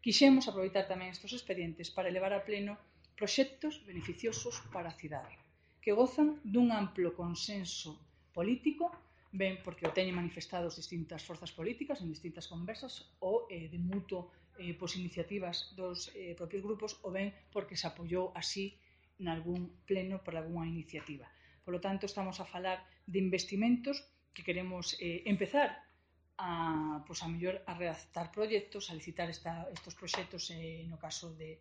quixemos aproveitar tamén estes expedientes para elevar a pleno proxectos beneficiosos para a cidade, que gozan dun amplo consenso político, ben porque o teñen manifestado as distintas forzas políticas en distintas conversas ou de mutuo iniciativas dos propios grupos, ou ben porque se apoiou así nalgún pleno por algunha iniciativa. Por lo tanto, estamos a falar de investimentos que queremos empezar a mellor a redactar proxectos, a licitar estes proxectos no caso de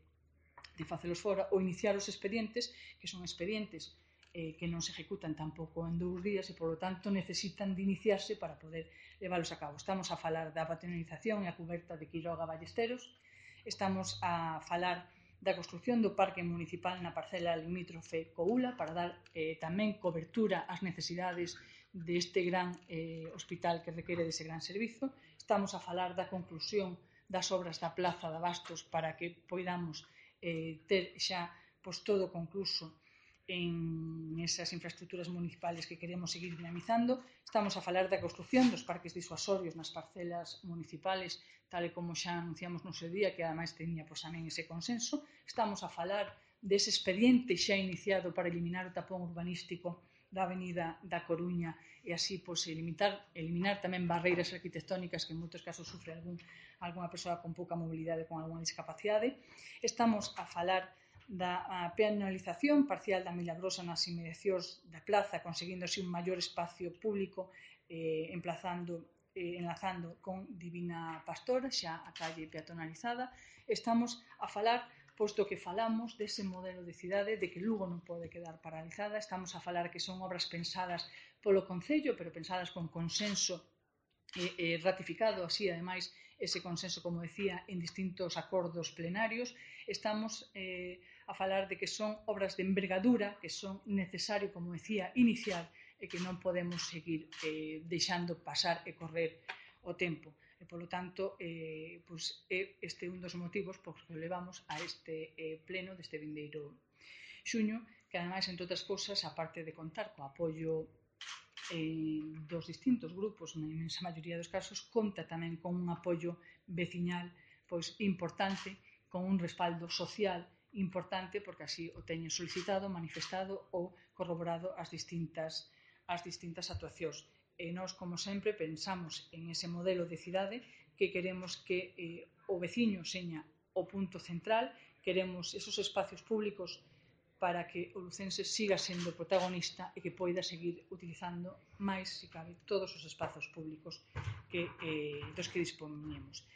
facelos fora, ou iniciar os expedientes, que son expedientes que non se ejecutan tampouco en 2 días e, polo tanto, necesitan de iniciarse para poder leválos a cabo. Estamos a falar da patrimonialización e a cuberta de Quiroga Ballesteros, estamos a falar da construción do parque municipal na parcela limítrofe Coula para dar tamén cobertura ás necesidades deste gran hospital que requere dese gran servizo. Estamos a falar da conclusión das obras da Plaza de Abastos para que poidamos ter xa todo concluso en esas infraestructuras municipales que queremos seguir dinamizando. Estamos a falar da construción dos parques disuasorios nas parcelas municipales, tal e como xa anunciamos no seu día, que ademais teña tamén ese consenso. Estamos a falar dese expediente xa iniciado para eliminar o tapón urbanístico da Avenida da Coruña e así eliminar tamén barreiras arquitectónicas que en moitos casos sufre algunha persoa con pouca mobilidade, con algunha discapacidade. Estamos a falar da penalización parcial da Milagrosa nas inmediacións da plaza, conseguindo así un maior espacio público, enlazando con Divina Pastora, xa a calle peatonalizada. Estamos a falar, posto que falamos dese modelo de cidade, de que Lugo non pode quedar paralizada, estamos a falar que son obras pensadas polo Concello, pero pensadas con consenso ratificado así, ademais, ese consenso, como decía, en distintos acordos plenarios. Estamos a falar de que son obras de envergadura, que son necesario, como decía, iniciar e que non podemos seguir deixando pasar e correr o tempo. E, polo tanto, este é un dos motivos por que levamos a este pleno deste vindeiro xuño, que, ademais, entre outras cousas, aparte de contar co apoio dos distintos grupos, na imensa maioría dos casos, conta tamén con un apoio veciñal importante, con un respaldo social importante, porque así o teñen solicitado, manifestado ou corroborado as distintas actuacións. E nós, como sempre, pensamos en ese modelo de cidade que queremos que o veciño seña o punto central, queremos esos espacios públicos para que o lucense siga sendo protagonista e que poida seguir utilizando máis, se cabe, todos os espazos públicos dos que dispoñemos.